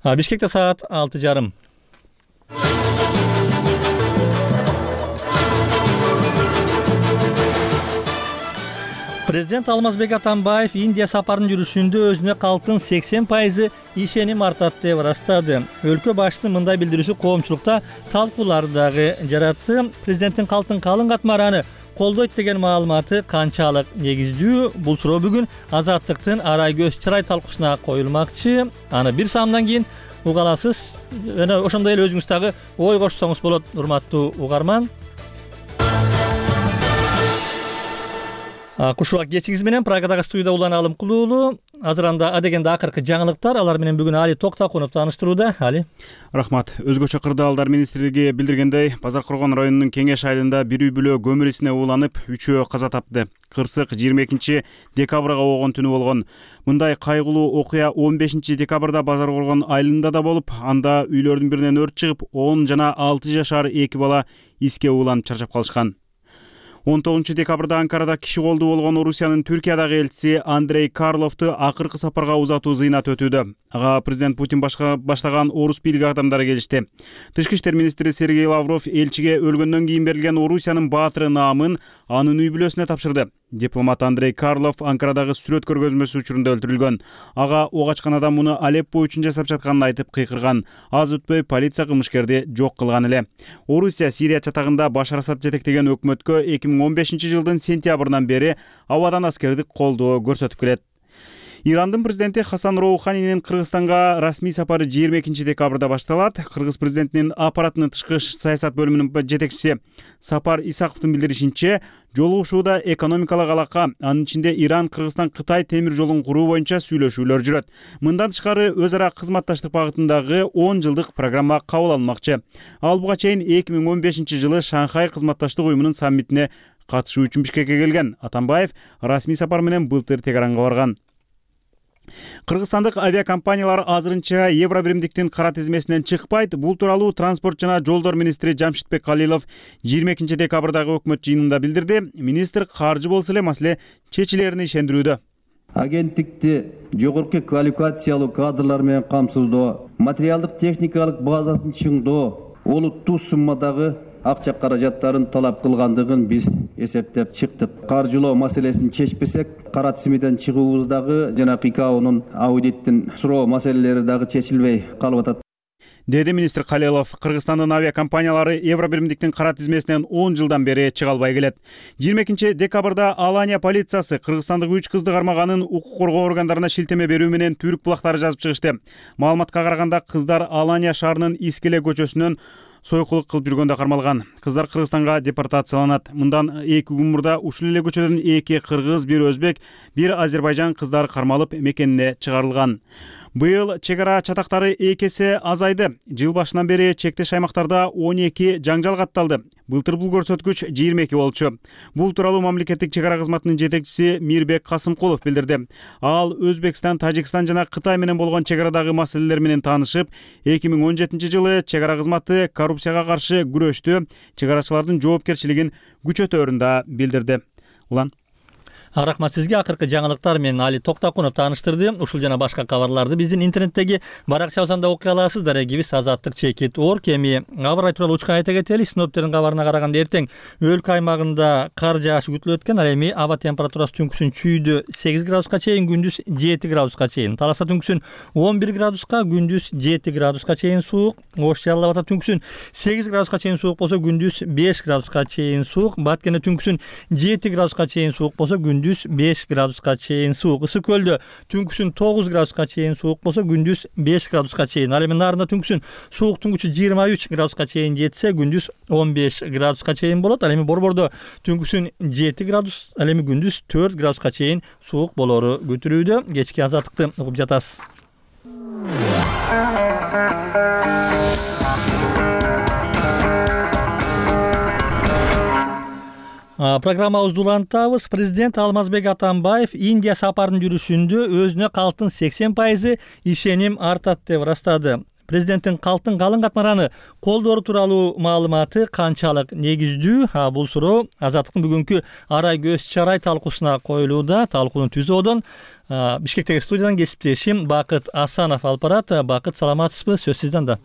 Бишкекте саат 6:30. Президент Алмазбек Атамбаев Индия сапарынын жүрүшүндө өзүнө калктын 80% ишеним артат деп ырастады. Өлкө башчысынын мындай билдирүүсү коомчулукта талкуулар дагы жаратты. Президенттин калктын калың катмараны колдойт деген маалыматы канчалык негиздүү? Бул суроо бүгүн Азаттыктын арай көз чырай талкуусуна коюлмакчы. Аны бир саамдан кийин уга аласыз. Жана ошондой эле өзүңүз дагы ой кошсоңуз болот, урматтуу угарман. Кушубак кечиңиз менен Прагадагы студияда Улан Алымкулуу уулу. Азыр анда адегенде акыркы жаңылыктар, алар менен бүгүн Али Токтакунов тааныштырууда. Али. Рахмат. Өзгөчө кырдаалдар министрлиги билдиргендей, Базар Коргон районунун Кеңеш айылында бир үй бүлө көмүр исине ууланып, 3-өө каза тапты. Кырсык 22 декабрга болгон түнү болгон. Мындай кайгылуу окуя 15 декабрда Базар Коргон айылында да болуп, анда үйлөрдүн биринен өрт чыгып, 10 жана 6 жашар 2 бала иске ууланып чарчап калышкан. 19 декабрда Анкарада киши колдуу болгон Орусиянын Түркиядагы элчиси Андрей Карловду акыркы сапарга узатуу зыйнат өтүүдө. Ага президент Путин баштаган орус бийлиги адамдары келишти. Тышкы иштер министри Сергей Лавров элчиге өлгөндөн кийин берилген Орусиянын баатыры наамын анын үй бүлөсүнө тапшырды. Дипломат Андрей Карлов Анкарадагы сүрөт көргөзмөсү учурунда өлтүрүлгөн. Ага ок ачкан адам муну Алеппо үчүн жасап жатканын айтып кыйкырган. Аз өтпөй полиция кылмышкерди жок кылган эле. Орусия Сирия чатагында Башар Асад жетектеген өкмөткө 2015 жылдын сентябрынан бери абадан аскердик колдоо көрсөтүп келет. Ирандын президенти Хасан Роуханинин Кыргызстанга расмий сапары 22 декабрда башталат. Кыргыз президентинин аппаратынын тышкы саясат бөлүмүнүн жетекчиси Сапар Исаковдун билдиришинче, жолугушууда экономикалык алака, анын ичинде Иран, Кыргызстан, Кытай темир жолун куруу боюнча сүйлөшүүлөр жүрөт. Мындан тышкары өз ара кызматташтык багытындагы 10 жылдык программа кабыл алынмакчы. Ал буга чейин 2015 жылы Шанхай кызматташтык уюмунун саммитине катышуу үчүн Бишкекке келген. Атамбаев расмий сапар менен былтыр Тегеранга барган. Кыргызстандык авиакомпаниялар азырынча евробиримдиктин кара тизмесинен чыкпайт. Бул тууралуу транспорт жана жолдор министри Жамшитбек Калилов 22 декабрдагы өкмөт жыйынында билдирди. Министр каржы болсо эле маселе чечилерине ишендирүүдө. Агенттикти жогорку квалификациялуу кадрлар менен камсыздоо, материалдык техникалык базасын чыңдоо, олуттуу суммадагы акча каражаттарын талап кылгандыгын биз эсептеп чыктык. Каржылоо маселесин чечпесек, кара тизмеден чыгуубуздагы жана ИКАОнун аудиттин суроо маселелери дагы чечилбей калып атат, деди министр Калилов. Кыргызстандын авиакомпаниялары евробиримдиктин кара тизмесинен 10 жылдан бери чыга албай келет. 22 декабрда Алания полициясы кыргызстандык 3 кызды кармаганын укук коргоо органдарына шилтеме берүү менен түрк булактары жазып чыгышты. Маалыматка караганда кыздар Алания шаарынын Искеле көчөсүнөн сойкулук кылып жүргөндө кармалган. Кыздар Кыргызстанга депортацияланат. Мындан 2 күн мурда ушул эле көчөдөн 2 кыргыз, 1 өзбек, 1 Азербайжан кыздары кармалып мекенине чыгарылган. Быйыл чек ара чатактары 2 эсе азайды. Жыл башынан бери чектеш аймактарда 12 жаңжал катталды. Былтыр бул көрсөткүч 22 болчу. Бул тууралуу мамлекеттик чек ара кызматынын жетекчиси Мирбек Касымкулов билдирди. Ал Өзбекстан, Тажикстан жана Кытай менен болгон чек арадагы маселелер менен таанышып, 2017 жылы чек ара кызматы коррупцияга каршы күрөштү, чек арачылардын жоопкерчилигин күчөтөөрүн да билдирди. Улан. Рахмат сизге. Акыркы жаңылыктар менен Али Токтакунов тааныштырды. Ушул жана башка кабарларды биздин интернеттеги баракчабыздан да окуй аласыз. Дарегибиз Азаттык.org. Эми аба ырайы тууралуу учка айта кетели. Синоптиктердин кабарына караганда эртең өлкө аймагында кар жаашы күтүлөт экен. Ал эми аба температурасы түнкүсүн чүйдө 8 градуска чейин, күндүз 7 градуска чейин. Таласта түнкүсүн 11 градуска, күндүз 7 градуска чейин суук. Ош Жалал Абадта түнкүсүн 8 градуска чейин суук болсо, күндүз 5 градуска чейин суук. Баткенде түнкүсүн 7 градуска чейин суук болсо, күндүз 5 градуска чейин суук. Ысык көлдө түнкүсүн 9 градуска чейин суук болсо, күндүз 5 градуска чейин. Ал эми Нарында түнкүсүн сууктун күчү 23 градуска чейин жетсе, күндүз 15 градуска чейин болот. Ал эми Борбордо түнкүсүн 7 градус, ал эми күндүз 4 градуска чейин суук болору күтүлүүдө. Кечки азаттыкты угуп жатасыз. Программабызды улантабыз. Президент Алмазбек Атамбаев Индия сапарынын жүрүшүндө өзүнө калктын 80% ишеним артат деп ырастады. президенттин калктын калың катмараны колдоору тууралуу маалыматы канчалык негиздүү? Бул суроо Азаттыктын бүгүнкү арай көз чарай талкуусуна коюлууда. Талкууну түзүүдөн Бишкектеги студиядан кесиптешим Бакыт Асанов алып барат. Бакыт, саламатсызбы? Сөз сизден да.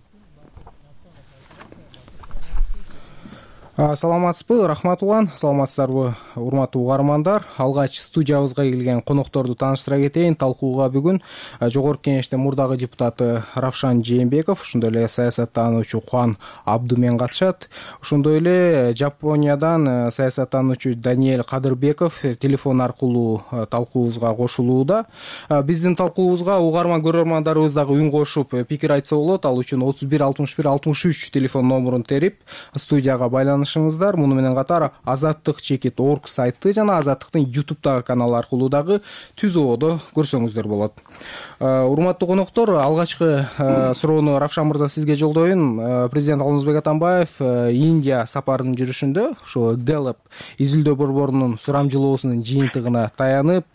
Саламатсызбы, рахмат улан. Саламатсыздарбы, урматтуу угармандар. Алгач студиябызга келген конокторду тааныштыра кетейин. Талкууга бүгүн Жогорку Кеңештин мурдагы депутаты Равшан Жээнбеков, ошондой эле саясаттануучу Кубан Абдумен катышат. Ошондой эле Жапониядан саясаттануучу Даниэль Кадырбеков телефон аркылуу талкуубузга кошулууда. Биздин талкуубузга угарман көрөрмандарыбыз дагы үн кошуп пикир айтса болот. Ал үчүн 31 61 63 телефон номурун терип студияга байланышыңыздар. Муну менен катар azattik.org сайты жана Азаттыктын YouTube'дагы канал аркылуу дагы түз ободо көрсөңүздөр болот. Урматтуу коноктор, алгачкы суроону Равшан мырза сизге жолдоюн. Президент Алмазбек Атамбаев Индия сапарынын жүрүшүндө ошо Gallup изилдөө борборунун сурамжылоосунун жыйынтыгына таянып,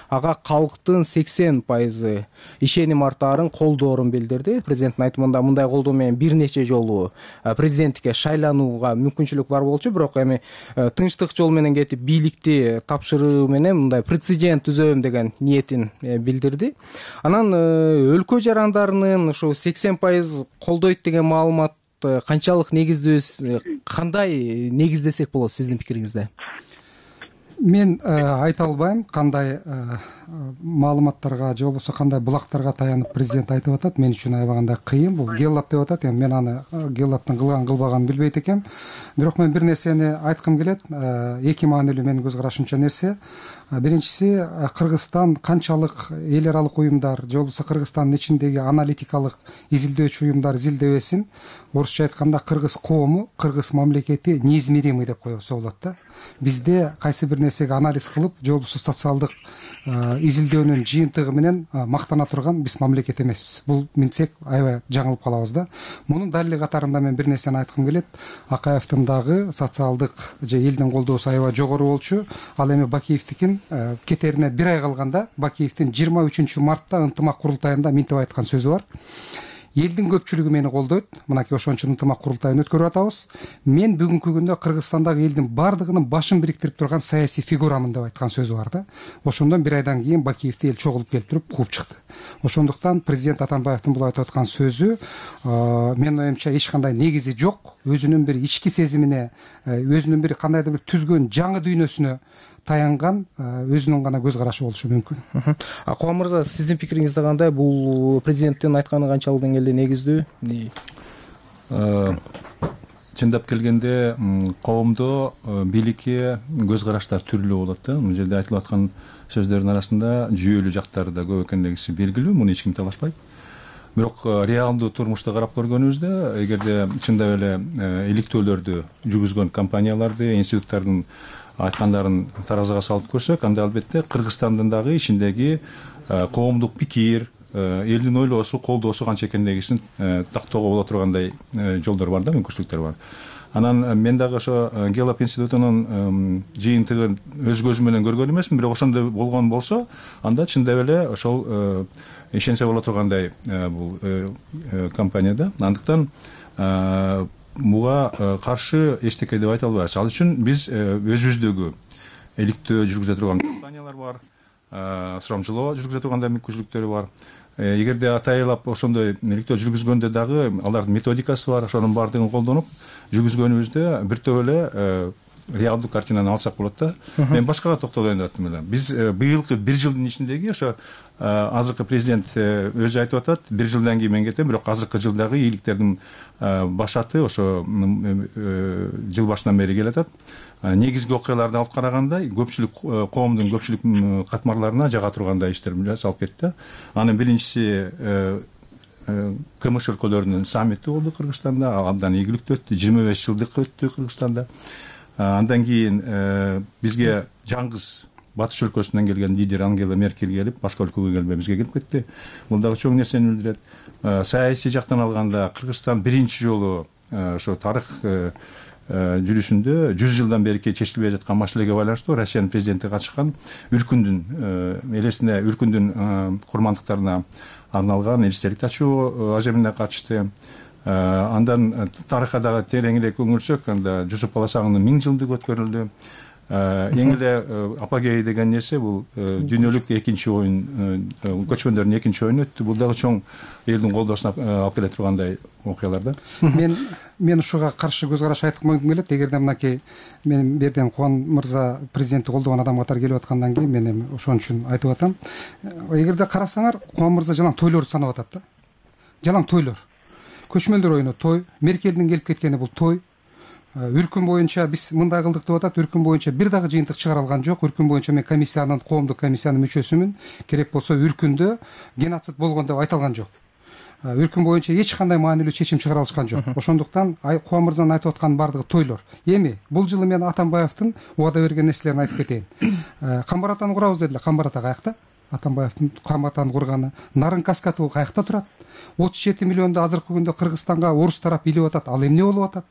ага калктын 80% ишеним артаарын колдоорун билдирди. Президенттин айтымында мындай колдоо менен бир нече жолу президенттикке шайланууга мүмкүнчүлүк бар болчу, бирок эми тынчтык жол менен кетип бийликти тапшыруу менен мындай прецедент түзөм деген ниетин билдирди. Анан өлкө жарандарынын ошо 80% колдойт деген маалымат канчалык негиздүү, кандай негиздесек болот сиздин пикириңизде? Мен айта албайм кандай маалыматтарга же болбосо кандай булактарга таянып президент айтып атат. Мен үчүн аябагандай кыйын. Бул Gallup деп атат. Мен аны Gallup-тын кылган кылбаганын билбейт экем. Бирок мен бир нерсени айткым келет. Эки маанилүү менин көз карашымча нерсе. Биринчиси, Кыргызстан канчалык эл аралык уюмдар же болбосо Кыргызстандын ичиндеги аналитикалык изилдөөчү уюмдар изилдебесин, орусча айтканда кыргыз коому, кыргыз мамлекети неизмеримый деп коебуз болот да. Бизде кайсы бир нерсеге анализ кылып, же болбосо социалдык изилдөөнүн жыйынтыгы менен мактана турган биз мамлекет эмеспиз. Бул минтсек аябай жаңылып калабыз да. Мунун далили катарында мен бир нерсени айткым келет. Акаевдин дагы социалдык же элдин колдоосу аябай жогору болчу. Ал эми Бакиевдикин кетерине бир ай калганда Бакиевдин 23 мартта ынтымак курултайында минтип айткан сөзү бар. Элдин көпчүлүгү мени колдойт. Мынакей ошон ынтымак курултайын өткөрүп атабыз. Мен бүгүнкү күндө Кыргызстандагы элдин бардыгынын башын бириктирип турган саясий фигурамын деп айткан сөзү бар да. Ошондон бир айдан кийин Бакиевди эл чогулуп келип туруп кууп чыкты. Ошондуктан президент Атамбаевдин бул айтып аткан сөзү менин оюмча эч кандай негизи жок. Өзүнүн бир ички сезимине, өзүнүн бир кандайдыр бир түзгөн жаңы дүйнөсүнө таянган өзүнүн гана көз карашы болушу мүмкүн. Кубан мырза, сиздин пикириңизде кандай? Бул президенттин айтканы канчалык деңгээлде негиздүү? Чындап келгенде коомдо бийликке көз караштар түрлүү болот да. Бул жерде айтылып аткан сөздөрдүн арасында жүйөлүү жактары да көп экендиги белгилүү, муну эч ким талашпайт. Бирок реалдуу турмушта карап көргөнүбүздө, эгерде чындап эле иликтөөлөрдү жүргүзгөн компанияларды, институттардын айткандарын таразыга салып көрсөк, анда албетте Кыргызстандын дагы ичиндеги коомдук пикир, элдин ойлоосу, колдоосу канча экендигин тактоого боло тургандай жолдор бар да, мүмкүнчүлүктөр бар. Анан мен дагы ошо Gallup институтунун жыйынтыгын өз көзүм менен көргөн эмесмин, бирок ошондой болгон болсо, анда чындап эле ошол ишенсе боло тургандай бул компанияда. Андыктан буга каршы эчтеке деп айта албайбыз. Ал үчүн биз өзүбүздөгү иликтөө жүргүзө турган компаниялар бар, сурамжылоо жүргүзө тургандай мүмкүнчүлүктөрү бар. Эгерде атайлап ошондой иликтөө жүргүзгөндө дагы алардын методикасы бар, ошонун баардыгын колдонуп жүргүзгөнүбүздө бир топ эле реалдуу картинаны алсак болот да. Мен башкага токтолоюн деп аттым эле. Биз быйылкы бир жылдын ичиндеги ошо азыркы президент өзү айтып атат, бир жылдан кийин мен кетем, бирок азыркы жылдагы ийгиликтердин башаты ошо жыл башынан бери келатат. Негизги окуяларды алып караганда көпчүлүк коомдун көпчүлүк катмарларына жага тургандай иштер жасалып кетти. Анын биринчиси КМШ өлкөлөрүнүн саммити болду Кыргызстанда, абдан ийгиликтүү өттү, 25 жылдык өттү Кыргызстанда. Андан кийин бизге жаңгыз батыш өлкөсүнөн келген лидер Ангела Меркель келип, башка өлкөгө келбей бизге келип кетти. Бул дагы чоң нерсени билдирет. Саясий жактан алганда Кыргызстан биринчи жолу ошо тарых жүрүшүндө 100 жылдан берки чечилбей жаткан маселеге байланыштуу Россиянын президенти катышкан Үркүндүн элесине, Үркүндүн курмандыктарына арналган эстелик тачуу аземине катышты. Андан тарыхка дагы тереңирээк үңүлсөк, анда Жусуп Баласагындын 1000 жылдыгы өткөрүлдү. Эң эле апогей деген нерсе бул дүйнөлүк экинчи оюн, көчмөндөрдүн экинчи оюну өттү. Бул дагы чоң элдин колдоосуна алып келе тургандай окуялар да. Мен ушуга каршы көз караш айткым келет. Эгерде мынакей мен берден Кубан мырза президентти колдогон адам катары келип аткандан кийин мен эми ошон үчүн айтып атам. Эгерде карасаңар, Кубан мырза жалаң тойлорду санап атат да. Жалаң тойлор. Көчмөндөр оюну той, Меркелдин келип кеткени бул той. Үркүн боюнча биз мындай кылдык деп атат. Үркүн боюнча бир дагы жыйынтык чыгара алган жок. Үркүн боюнча мен коомдук комиссиянын мүчөсүмүн. Керек болсо Үркүндө геноцид болгон деп айта алган жок. Үркүн боюнча эч кандай маанилүү чечим чыгара алышкан жок. Ошондуктан Кубан мырзанын айтып атканын баардыгы тойлор. Эми бул жылы мен Атамбаевдин убада берген нерселерин айтып кетейин. Камбар атаны курабыз дедилер. Камбар ата каякта? Атамбаевдин Камбар атаны курганы. Нарын каскаты каякта турат? 37 миллионду азыркы күндө Кыргызстанга орус тарап илип атат. Ал эмне болуп атат?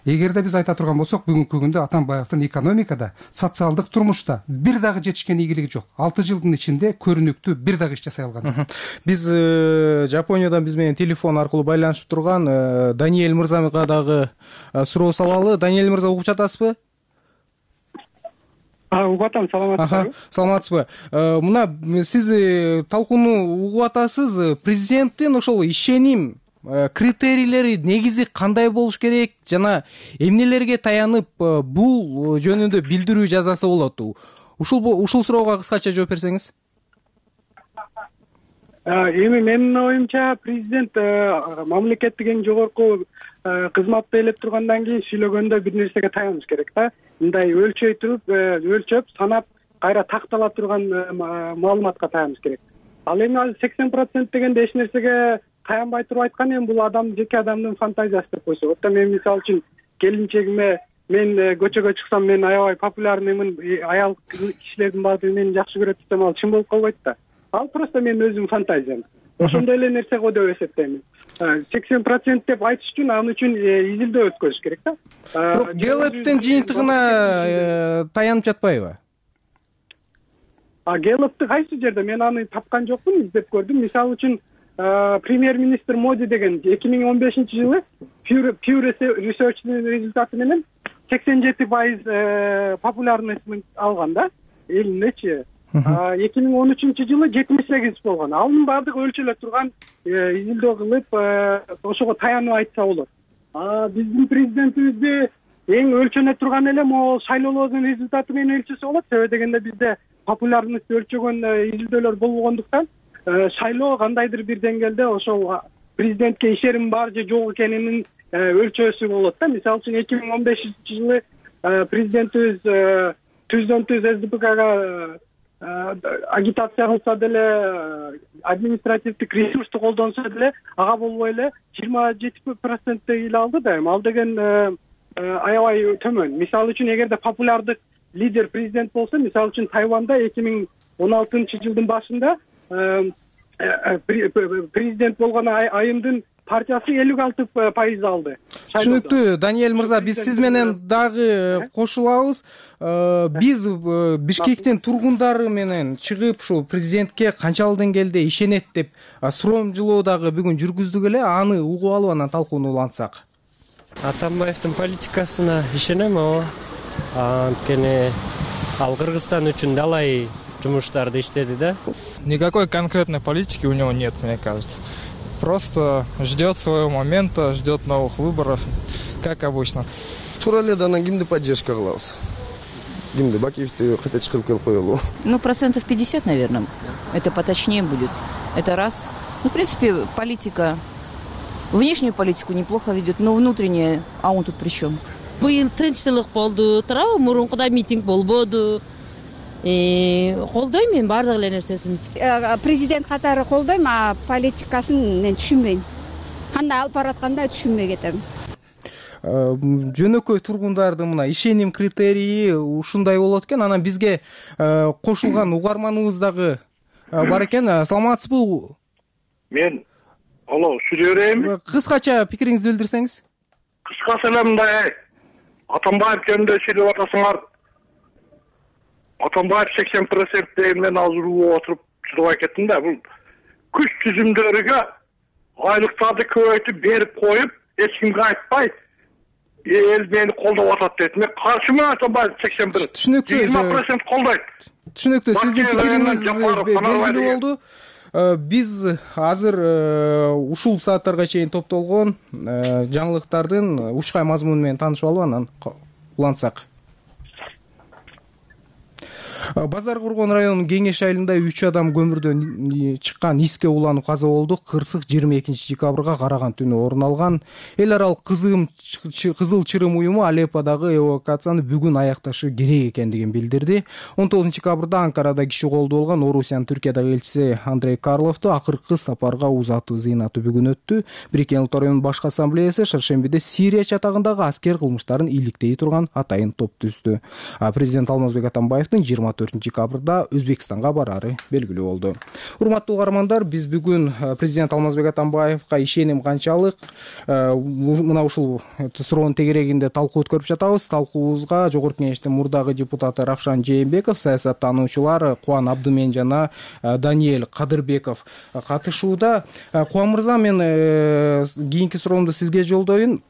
Эгерде биз айта турган болсок, бүгүнкү күндө Атамбаевдин экономикада, социалдык турмушта бир дагы жетишкен ийгилиги жок. 6 жылдын ичинде көрүнүктүү бир дагы иш жасай алган жок. Биз Жапониядан биз менен телефон аркылуу байланышып турган Даниэль мырзага дагы суроо салалы. Даниэль мырза, угуп жатасызбы? Угуп атам, саламатсызбы? Саламатсызбы. Мына сиз талкууну угуп атасыз. Президенттин ошол ишеним критерийлери негизи кандай болуш керек жана эмнелерге таянып бул жөнүндө билдирүү жазасы болот? Ушул суроого кыскача жооп берсеңиз. Эми менин оюмча президент мамлекеттик эң жогорку кызматты ээлеп тургандан кийин сүйлөгөндө бир нерсеге таяныш керек да. Мындай өлчөп, санап, кайра тактала турган маалыматка таяныш керек. Ал эми 80% дегенде эч нерсеге таянбай туруп айткан, эми бул жеке адамдын фантазиясы деп койсок. Мен мисалы үчүн келинчегиме мен көчөгө чыксам мен аябай популярныймын, аял кишилердин баардыгы мени жакшы көрөт десем, ал чын болуп калбайт да. Ал просто менин өзүмдүн фантазиям. Ошондой эле нерсе го деп эсептейм. 80% деп айтыш үчүн аны үчүн изилдөө өткөзүш керек да. Бирок Гэллоптун жыйынтыгына таянып жатпайбы? Гэллопту кайсы жерде мен аны тапкан жокмун, издеп көрдүм. Мисалы үчүн премьер-министр Моди деген 2015-жылы Pew Research'нын результаты менен 87% популярныйсын алган да, элиндечи. 2013-жылы 78 болгон. Анын баардыгы өлчөлө турган, изилдөө кылып, ошого таянып айтса болот. Биздин президентибизди эң өлчөнө турган эле могул шайлоолордун результаты менен өлчөсө болот. Себеби дегенде бизде популярность өлчөгөн изилдөөлөр болбогондуктан шайлоо кандайдыр бир деңгээлде ошол президентке ишеним бар же жок экенинин өлчөөсү болот да. Мисалы үчүн 2015-жылы президентибиз түздөн түз СДПКга агитация кылса деле, административдик ресурсту колдонсо деле, ага болбой эле 27% эл алды да. Ал деген аябай төмөн. Мисалы үчүн эгерде популярдык лидер президент болсо, мисалы үчүн Тайванда 2016-жылдын башында президент болгон айымдын партиясы 56% алды. Түшүнүктүү, Даниэль мырза, биз сиз менен дагы кошулабыз. Биз Бишкектин тургундары менен чыгып ушу президентке канчалык деңгээлде ишенет деп суромжулоо дагы бүгүн жүргүздүк эле. Аны угуп алып анан талкууну улантсак. Атамбаевдин политикасына ишенем. Анткени ал Кыргызстан үчүн далай жумуштарды иштеди да. Никакой конкретной политики у него нет, мне кажется. Просто ждет своего момента, ждет новых выборов, как обычно. Туура эле да анан кимди поддержка кылабыз? Кимди? Бакиевди кайта чыгарып келип коелу. 50%, наверное. Это поточнее будет. Это раз. В принципе, политика, внешнюю политику неплохо ведет, но внутренняя, а он тут при чем? Быйыл тынччылык болду, туурабы? Мурункуда митинг болбоду. Колдойм мен баардык эле нерсесин. Президент катары колдойм, а политикасын мен түшүнбөйм. Кандай алып баратканда түшүнбөй кетем. Жөнөкөй тургундардын мына ишеним критерийи ушундай болот экен. Анан бизге кошулган угарманыбыз дагы бар экен. Саламатсызбы? Мен ушул жерем. Кыскача пикириңизди билдирсеңиз. Кыскасы эле мындай Атамбаев жөнүндө сүйлөп атасыңар. Атамбаев 80% деген мен азыр отуруп чыдабай кеттим да. Бул күч түзүмдөрүгө айлыктарды көбөйтүп берип коюп, эч кимге айтпай эл мени колдоп атат дейт. Мен каршымын Атамбаев 81. Түшүнүктүү. 20% колдойт. Түшүнүктүү. Сиздин пикириңиз белгилүү болду. Биз азыр ушул сааттарга чейин топтолгон жаңылыктардын ушкай мазмуну менен таанышып алып анан улантсак. Базар Кургон районунун Кеңеш айылында 3 адам көмүрдөн чыккан иске уланып каза болду. Кырсык 22-декабрга караган түнү орун алган. Эл аралык Кызыл Чырым уюму Алепподагы эвакуацияны бүгүн аякташы керек экендигин билдирди. 19-декабрда Анкарада киши колдоо болгон Орусиянын Түркиядагы элчиси Андрей Карловду акыркы сапарга узатуу зыйнаты бүгүн өттү. Бириккен Улуттар Уюмунун башкы ассамблеясы Шаршембиде Сирия чатагындагы аскер кылмыштарын иликтей турган атайын топ түздү. Президент Алмазбек Атамбаевдин 24-декабрда Өзбекстанга барары белгилүү болду. Урматтуу угармандар, биз бүгүн президент Алмазбек Атамбаевга ишеним канчалык мына ушул суроонун тегерегинде талкуу өткөрүп жатабыз. Талкуубузга Жогорку Кеңештин мурдагы депутаты Равшан Жээнбеков, саясаттануучулар Кубан Абдымен жана Даниэль Кадырбеков катышууда. Кубан мырза, мен кийинки суроомду сизге жолдоюн.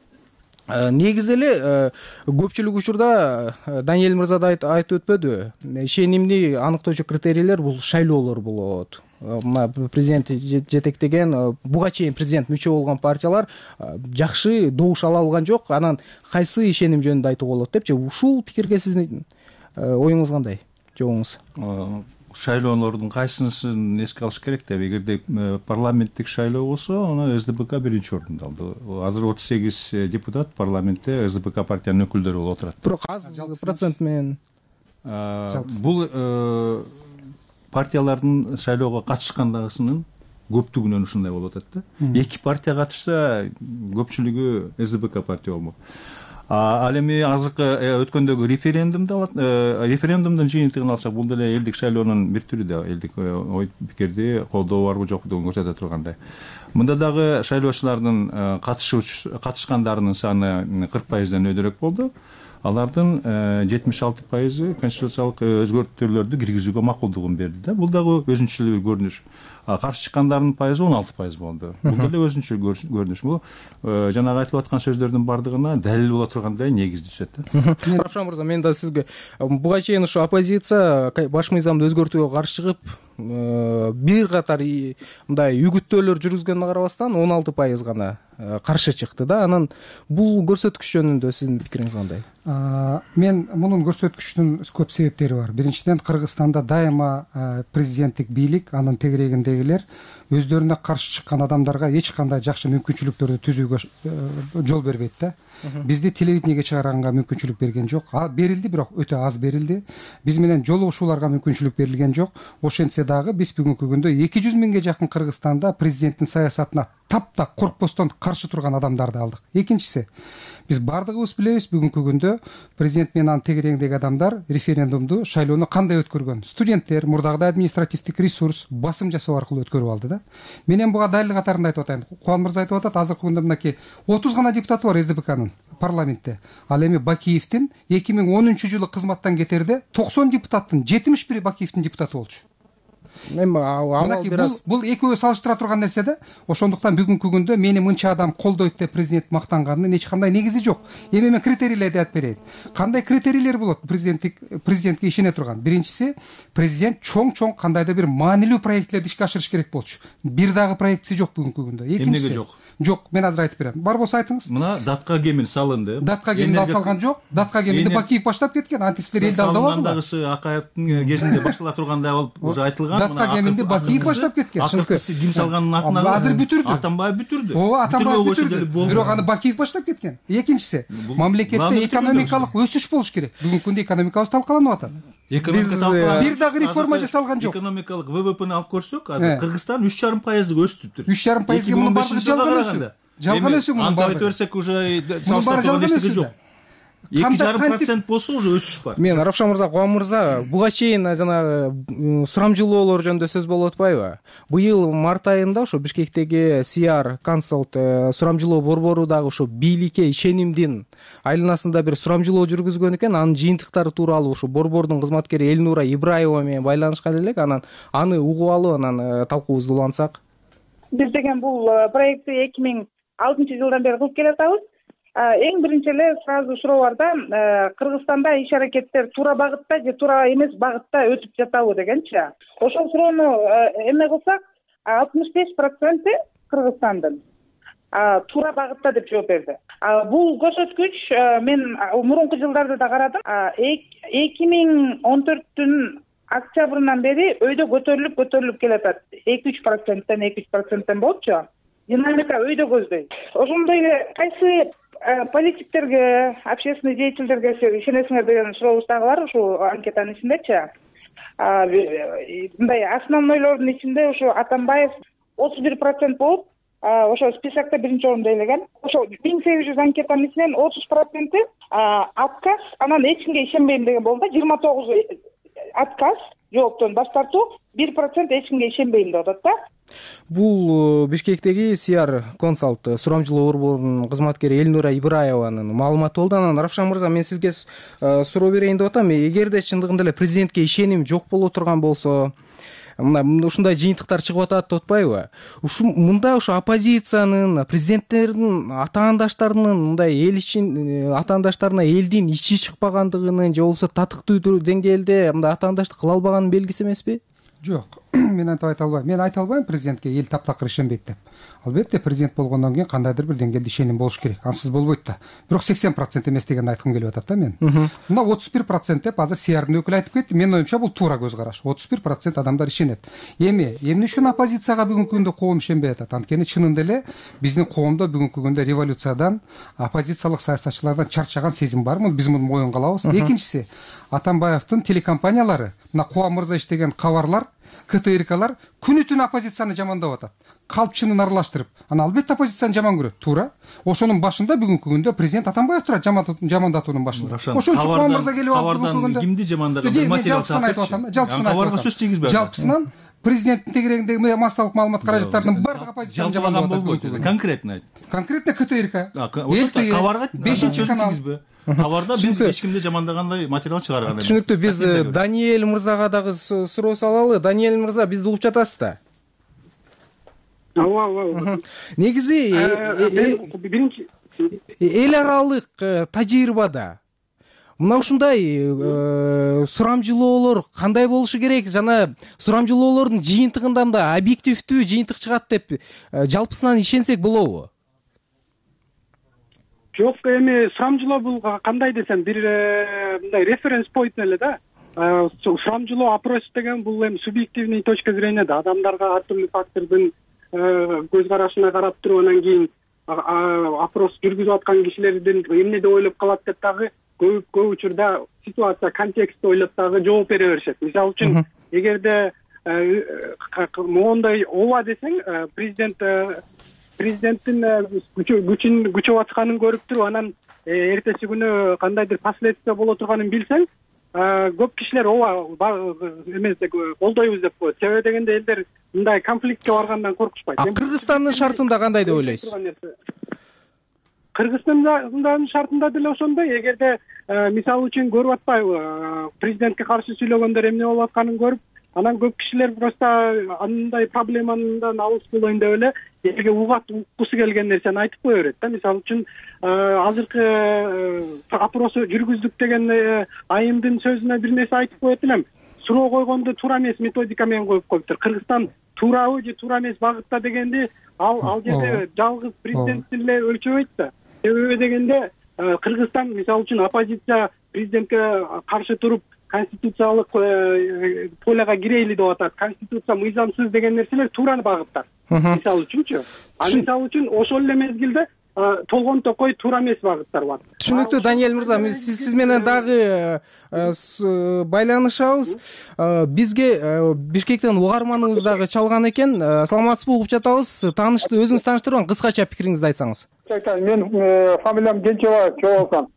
Негизи эле көпчүлүк учурда Даниэль мырза да айтып өтпөдүбү? Ишенимди аныктоочу критерийлер бул шайлоолор болот. Президент жетектеген, буга чейин президент мүчө болгон партиялар жакшы добуш ала алган жок. Анан кайсы ишеним жөнүндө айтууга болот депчи? Ушул пикирге сиздин оюңуз кандай? Жообуңуз? Шайлоолордун кайсынысын эске алыш керек деп, эгерде парламенттик шайлоо болсо, аны СДПК биринчи орунду алды. Азыр 38 депутат парламентте СДПК партиянын өкүлдөрү болуп отурат. Бирок аз процент менен бул партиялардын шайлоого катышкандагысынын көптүгүнөн ушундай болуп атат да. Эки партия катышса, көпчүлүгү СДПК партия болмок. Ал эми азыркы өткөндөгү референдумдун жыйынтыгын алсак, бул деле элдик шайлоонун бир түрү да, элдик ой пикирди колдоо барбы жокпу көрсөтө тургандай. Мында дагы шайлоочулардын катышкандарынын саны 40%дан өйдөрөөк болду. Алардын 76% конституциялык өзгөртүүлөрдү киргизүүгө макулдугун берди да. Бул дагы өзүнчө бир көрүнүш. Каршы чыккандардын пайызы 16% болду. Бул деле өзүнчө көрүнүш. Бул жанагы айтылып аткан сөздөрдүн бардыгына далил боло тургандай негизди түзөт да. Равшан мырза, мен да сизге буга чейин ушу оппозиция баш мыйзамды өзгөртүүгө каршы чыгып, бир катар мындай үгүттөөлөр жүргүзгөнгө карабастан 16% гана каршы чыкты да. Анан бул көрсөткүч жөнүндө сиздин пикириңиз кандай? Мен мунун көрсөткүчүнүн көп себептери бар. Биринчиден, Кыргызстанда дайыма президенттик бийлик, анын тегерегиндегилер өздөрүнө каршы чыккан адамдарга эч кандай жакшы мүмкүнчүлүктөрдү түзүүгө жол бербейт да. Бизди телевидениеге чыгарганга мүмкүнчүлүк берген жок. Берилди, бирок өтө аз берилди. Биз менен жолугушууларга мүмкүнчүлүк берилген жок. Ошентсе дагы биз бүгүнкү күндө 200 миңге жакын Кыргызстанда президенттин саясатына таптак коркпостон каршы турган адамдарды алдык. Экинчиси, биз бардыгыбыз билебиз, бүгүнкү күндө президент менен анын тегерегиндеги адамдар референдумду, шайлоону кандай өткөргөн? Студенттер, мурдагыдай административдик ресурс, басым жасоо аркылуу өткөрүп алды да. Менен буга далил катарында айтып атайын. Кубан мырза айтып атат, азыркы күндө мынакей 30 гана депутаты бар СДПКнын парламентте. Ал эми Бакиевдин 2010-жылы кызматтан кетерде 90 депутаттын 71 Бакиевдин депутаты болчу. Бул экөө салыштыра турган нерсе да. Ошондуктан бүгүнкү күндө мени мынча адам колдойт деп президент мактанганынын эч кандай негизи жок. Эми мен критерийлерди айтып берейин. Кандай критерийлер болот президентке ишене турган? Биринчиси, президент чоң кандайдыр бир маанилүү проектлерди ишке ашырыш керек болчу. Бир дагы проектиси жок бүгүнкү күндө. Экинчиси жок, мен азыр айтып берем. Бар болсо айтыңыз. Мына датка кемин салынды. Датка кемин салган жок. Датка кеминди Бакиев баштап кеткен. Антипсилер элди алдап алды. Салгандагысы Акаевдин кезинде баштала тургандай болуп уже айтылган. Датка кеминди Бакиев баштап кеткен. Ким салганын атына азыр бүтүрдү. Атамбаев бүтүрдү. Атамбаев бүтүрдү. Бирок аны Бакиев баштап кеткен. Экинчиси, мамлекетте экономикалык өсүш болуш керек. Бүгүнкү күндө экономикабыз талкаланып атат. Бир дагы реформа жасалган жок. Экономикалык ВВПны алып көрсөк, азыр Кыргызстан 3,5% өстүптүр. 3,5%га мунун бардыгы жалган өсүү. Жалган өсүү мунун бардыгы. Анталып берсек уже салыштырып турган эчтеке жок. 2,5% болсо уже өсүш бар. Мен Равшан мырза, Кубан мырза, буга чейин жанагы сурамжылоолор жөнүндө сөз болуп атпайбы? Быйыл март айында ошо Бишкектеги CR Consult сурамжылоо борбору дагы ошо бийликке ишенимдин айланасында бир сурамжылоо жүргүзгөн экен. Анын жыйынтыктары тууралуу ошо борбордун кызматкери Элнура Ибраева менен байланышкан элек. Анан аны угуп алып, анан талкуубузду улантсак. Биз деген бул проектти 2006 жылдан бери кылып келатабыз. Эң биринчи эле сразу суроо бар да, Кыргызстанда иш аракеттер туура багытта же туура эмес багытта өтүп жатабы дегенчи. Ошол суроону эме кылсак, 65% Кыргызстандын туура багытта деп жооп берди. Бул көрсөткүч мен мурунку жылдарды да карадым. 2014-түн октябрынан бери өйдө көтөрүлүп келатат. 2-3%тен 2-3%тен болчу. Динамика өйдө көздөйт. Ошондой эле кайсы политиктерге, общественный деятельдерге ишенесиңер деген сурообуз дагы бар ушул анкетанын ичиндечи. Мындай основнойлордун ичинде ошо Атамбаев 31% болуп, ошо списокто биринчи орунда элеген. Ошо 1800 анкетанын ичинен 30% отказ, анан эч кимге ишенбейм деген болду. 29 отказ, жооптон баш тартуу, 1% эч кимге ишенбейм деп атат да. Бул Бишкектеги CR Consult сурамжылоо борборунун кызматкери Элнура Ибраеванын маалыматы болду. Анан Равшан мырза, мен сизге суроо берейин деп атам. Эгерде чындыгында эле президентке ишеним жок боло турган болсо, мына ушундай жыйынтыктар чыгып атат деп атпайбы? Мында ошо оппозициянын, президенттердин атаандаштарынын мындай эл ичин атаандаштарына элдин ичи чыкпагандыгынын же болбосо татыктуу деңгээлде мындай атаандаштык кыла албаганын белгиси эмеспи? Жок, мен антип айта албайм. Мен айта албайм президентке эл таптакыр ишенбейт деп. Албетте президент болгондон кийин кандайдыр бир деңгээлде ишеним болуш керек. Ансыз болбойт да. Бирок 80% эмес дегенди айткым келип атат да мен. Мына 31% деп азыр CR-дын өкүлү айтып кетти. Менин оюмча бул туура көз караш. 31% адамдар ишенет. Эмне үчүн оппозицияга бүгүнкү күндө коом ишенбей атат? Анткени чынында эле биздин коомдо бүгүнкү күндө революциядан, оппозициялык саясатчылардан чарчаган сезим бар. Биз муну моюнга алабыз. Экинчиси, Атамбаевдин телекомпаниялары, мына Кубан мырза иштеген кабарлар, КТРКлар күнү-түн оппозицияны жамандап атат. Калпчынын аралаштырып. Ана албетте оппозицияны жаман көрөт, туура. Ошонун башында бүгүнкү күндө президент Атамбаев турат, жамандатуунун башында. Ошон үчүн Кубан мырза келип алып бүгүнкү күндө кимди жамандаган материал айтып атам. Кабарга сөз тийгизбей. Жалпысынан президенттин тегерегиндеги массалык маалымат каражаттарынын бардыгы оппозицияны жамандап атат. Конкретно айт. Конкретно КТРК. Кабарга 5-канал. Кабарда биз эч кимди жамандагандай материал чыгарган эмес. Түшүнүктүү. Биз Даниэль мырзага дагы суроо салалы. Даниэль мырза, бизди угуп жатасыз да? Ооба. Негизи биринчи эл аралык тажрыйбада мына ушундай сурамжылоолор кандай болушу керек? Жана сурамжылоолордун жыйынтыгында мындай объективдүү жыйынтык чыгат деп жалпысынан ишенсек болобу? Жок, эми сурамжылоо бул кандай десем, бир мындай референс point эле да. Сурамжылоо опрос деген бул эми субъективный точка зрения да. Адамдарга ар түрдүү фактордун көз карашына карап туруп, анан кийин опрос жүргүзүп аткан кишилердин эмне деп ойлоп калат деп дагы көп учурда ситуация, контекстти ойлоп дагы жооп бере беришет. Мисалы үчүн, эгерде моундай ооба десең, президенттин күчүн күчөп атканын көрүп туруп, анан эртеси күнү кандайдыр последствия боло турганын билсең, көп кишилер ооба эмес колдойбуз деп коет. Себеби дегенде элдер мындай конфликтке баргандан коркушпайт. Кыргызстандын шартында кандай деп ойлойсуз? Кыргызстандын шартында деле ошондой. Эгерде мисалы үчүн көрүп атпайбы, президентке каршы сүйлөгөндөр эмне болуп атканын көрүп, анан көп кишилер просто андай проблемадан алыс болоюн деп эле элге уккусу келген нерсени айтып кое берет да. Мисалы үчүн азыркы опросу жүргүздүк деген айымдын сөзүнө бир нерсе айтып коет элем. Суроо койгонду туура эмес методика менен коюп коюптур. Кыргызстан туурабы же туура эмес багытта дегенди ал жерде жалгыз президент эле өлчөбөйт да. Себеби дегенде Кыргызстан мисалы үчүн оппозиция президентке каршы туруп конституциялык поляга кирейли деп атат. Конституция мыйзамсыз деген нерселер туура багыттар. Мисалы үчүнчү. Мисалы үчүн ошол эле мезгилде толгон токой туура эмес багыттар бар. Түшүнүктүү. Даниэль мырза, сиз менен дагы байланышабыз. Бизге Бишкектен угарманыбыз дагы чалган экен. Саламатсызбы, угуп жатабыз. Өзүңүз тааныштырып, кыскача пикириңизди айтсаңыз. Мен фамилиям Кенчебаев Чоолкан.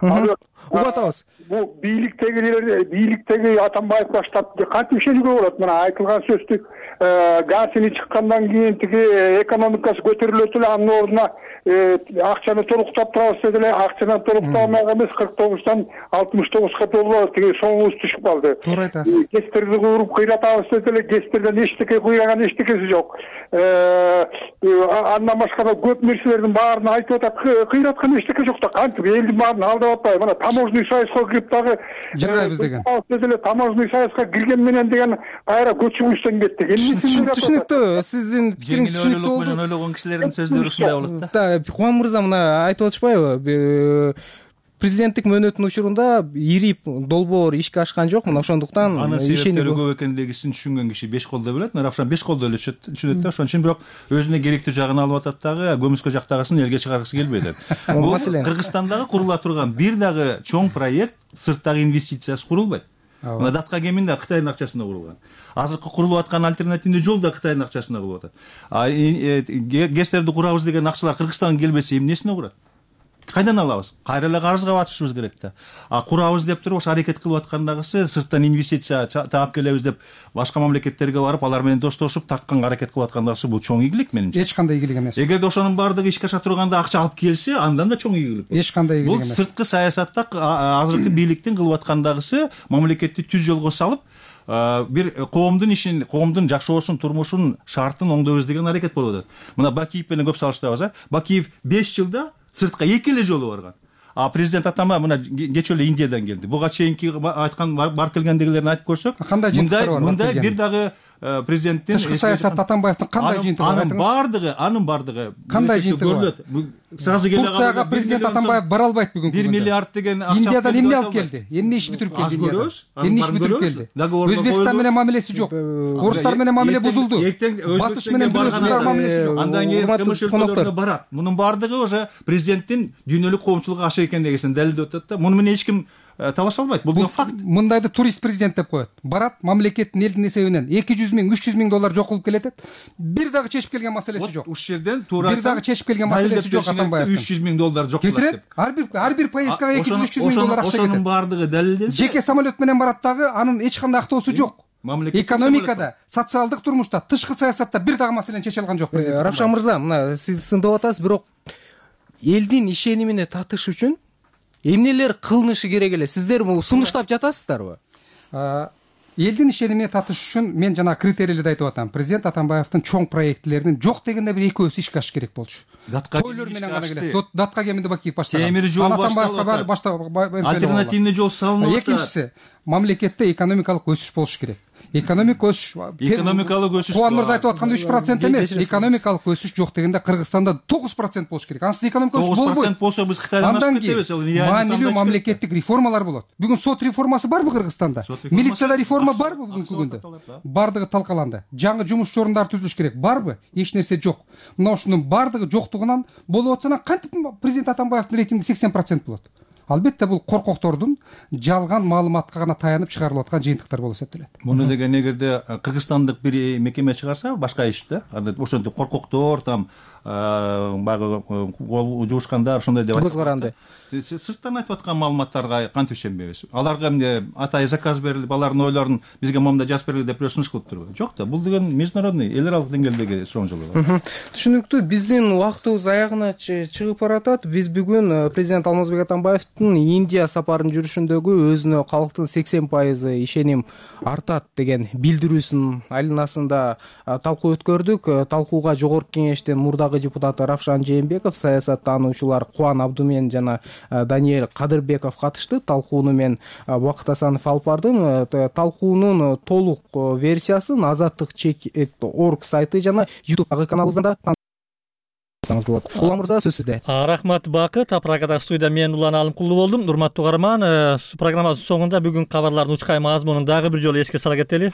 угуп атабыз. Бул бийликтеги Атамбаев баштап кантип ишенүүгө болот? Мына айтылган сөздү газини чыккандан кийин тиги экономикасы көтөрүлөт эле, анын ордуна акчаны толуктап турабыз деди эле. Акчаны толуктамак эмес, 49тан 69га доллар тиги соңубуз түшүп калды. Туура айтасыз. ГЭСтерди куруп кыйратабыз деди эле. ГЭСтерден эчтеке кыйраган эчтекеси жок. Андан башка да көп нерселердин баарын айтып атат. Кыйраткан эчтеке жок да, кантип элдин баарын алдап атпайбы? Мына таможенный союзга кирип дагы жыргайбыз деген. Таможенный союзга кирген менен деген кайра көчүгүчтөн кеттик. Түшүнүктүү, сиздин пикириңиз түшүнүктүү болду. менен ойлогон кишилердин сөздөрү ушундай болот да. Кубан мырза мына айтып атышпайбы? Президенттик мөөнөттүн учурунда ири долбоор ишке ашкан жок. Мына ошондуктан анын себептери көп экендигин түшүнгөн киши 5 колдой билет. Равшан 5 колдой эле түшүнөт да. Ошон үчүн бирок өзүнө керектүү жагын алып атат дагы, көмүскө жактагысын элге чыгаргысы келбейт. Бул Кыргызстандагы курула турган бир дагы чоң проект сырттагы инвестициясы курулбайт. Мына Датка кемин да Кытайдын акчасына курулган. Азыркы курулуп аткан альтернативный жол да Кытайдын акчасына курулуп атат. ГЭСтерди курабыз деген акчалар Кыргызстанга келбесе эмнесине курат? Кайдан алабыз? Кайра эле карызга батышыбыз керек да. Курабыз деп туруп ошо аракет кылып аткандагысы сырттан инвестиция таап келебиз деп башка мамлекеттерге барып, алар менен достоошуп тартканга аракет кылып аткандагысы бул чоң ийгилик менимче. Эч кандай ийгилик эмес. Эгерде ошонун баардыгы ишке аша турганда акча алып келсе, андан да чоң ийгилик. Эч кандай ийгилик эмес. Бул сырткы саясатта азыркы бийликтин кылып аткандагысы мамлекетти түз жолго салып, бир коомдун ишин, коомдун жакшысын, турмушун шартын оңдойбуз деген аракет болуп атат. Мына Бакиев менен көп салыштырабыз. Бакиев 5 жылда сыртка 2 эле жолу барган. Президент Атамбаев мына кечээ эле Индиядан келди. Буга чейинки айткан барып келгендегилерин айтып көрсөк, мындай бир дагы президенттин тышкы саясат Атамбаевдин кандай жыйынтыгы бар? Анын бардыгы кандай жыйынтыгы бар? Сразу келе Турцияга президент Атамбаев бара албайт бүгүнкү күндө. 1 миллиард деген акча. Индиядан эмне алып келди? Эмне иш бүтүрүп келди Индиядан? Эмне иш бүтүрүп келди? Өзбекстан менен мамилеси жок. Орустар менен мамиле бузулду. Батыш менен бирөөсүнүн мамилеси жок. Андан кийин кымыш өлкөлөрүнө барат. Мунун бардыгы уже президенттин дүйнөлүк коомчулукка ашы экендигин далилдеп атат да. Муну менен эч ким талаша албайт. Бул факт. Мындайды турист президент деп коет. Барат, мамлекеттин элдин эсебинен 200 миң, 300 миң доллар жок кылып келет. Бир дагы чечип келген маселеси жок. Ушул жерден туура бир дагы чечип келген маселеси жок Атамбаевдин. 300 миң доллар жок кылат деп. Ар бир поездкага 200-300 миң доллар акча кетет. Ошонун бардыгы далилденсе. Жеке самолет менен барат дагы, анын эч кандай актоосу жок. Экономикада, социалдык турмушта, тышкы саясатта бир дагы маселени чече алган жок президент. Равшан мырза, мына сиз сындап атасыз, бирок элдин ишенимине татыш үчүн эмнелер кылынышы керек эле? Сиздер бул сунуштап жатасыздарбы? Элдин ишенимине татыш үчүн мен жана критерийлерди айтып атам. Президент Атамбаевдин чоң проекттеринин жок дегенде бир экөөсү ишке ашыш керек болчу. Тойлор менен гана келет. Датка кеминде Бакиев баштаган. Темир жол башталып, альтернативный жол салынып атат. Экинчиси, мамлекетте экономикалык өсүш болуш керек. Экономикалык өсүш. Кубан мырза айтып аткандай 3% эмес, экономикалык өсүш жок дегенде Кыргызстанда 9% болуш керек. Ансыз экономикалык өсүш болбойт. 9% болсо биз Кытайдан ашып кетебиз. Маанилүү мамлекеттик реформалар болот. Бүгүн сот реформасы барбы Кыргызстанда? Милицияда реформа барбы бүгүнкү күндө? Бардыгы талкаланды. Жаңы жумуш орундары түзүлүш керек. Барбы? Эч нерсе жок. Мына ушунун бардыгы жоктугунан болуп атса, кантип президент Атамбаевдин рейтинги 80% болот? Албетте бул коркоктордун жалган маалыматка гана таянып чыгарылып аткан жыйынтыктар болуп эсептелет. Муну деген эгерде кыргызстандык бир мекеме чыгарса, башка иш да. Ошентип коркоктор там багы кол жуушкандар ошондой деп көз каранды. Сырттан айтып аткан маалыматтарга кантип ишенбейбиз? Аларга эмне атайы заказ берилип, алардын ойлорун бизге момундай жазып бергиле деп сунуш кылып турбайбы? Жок да. Бул деген международный, эл аралык деңгээлдеги суроолор. Түшүнүктүү. Биздин убактыбыз аягына чыгып баратат. Биз бүгүн президент Алмазбек Атамбаевдин Индия сапарын жүрүшүндөгү өзүнө калктын 80% ишеним артат деген билдирүүсүнүн айланасында талкуу өткөрдүк. Талкууга жогорку кеңештин мурдагы депутаты Равшан Жээнбеков, саясаттануучулар Кубан Абдумен жана Даниэль Кадырбеков катышты. Талкууну мен Убакыт Асанов алып бардым. Талкуунун толук версиясын Азаттык.org сайты жана YouTube каналыбызда болот. Улан мырза, сөз сизде. Рахмат Бакыт. Программада студияда мен Улан Алымкулуу болдум. Урматтуу угарман, программабыздын соңунда бүгүн кабарлардын учкай мазмунун дагы бир жолу эске сала кетели.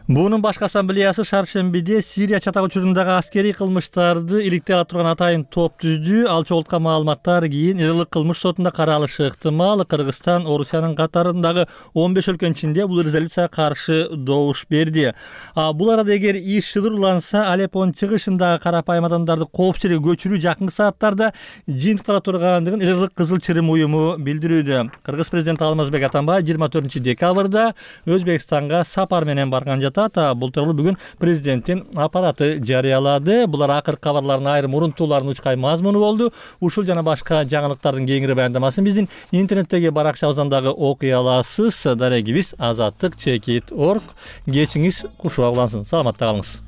Буунун башкы ассамблеясы шаршембиде Сирия чатак учурундагы аскерий кылмыштарды иликтей ала турган атайын топ түздү. Ал чогулткан маалыматтар кийин Ирылык кылмыш сотунда каралышы ыктымал. Кыргызстан Орусиянын катарындагы 15 өлкөнүн ичинде бул резолюцияга каршы добуш берди. Бул арада эгер иш шыдырланса, Алеппонун чыгышындагы карапайым адамдарды коопсуздукка көчүрүү жакынкы сааттарда жыйынтыктала тургандыгын Ирылык Кызыл Чырым уюму билдирүүдө. Кыргыз президенти Алмазбек Атамбаев 24 декабрда Өзбекстанга сапар менен барган жатат. Бул тууралуу бүгүн президенттин аппараты жарыялады. Булар акыркы кабарлардын айрым урунтууларынын учкай мазмуну болду. Ушул жана башка жаңылыктардын кеңири баяндамасын биздин интернеттеги баракчабыздан дагы окуй аласыз. Дарегибиз azattik.org. Кечиңиз кушуа улансын. Саламатта калыңыз.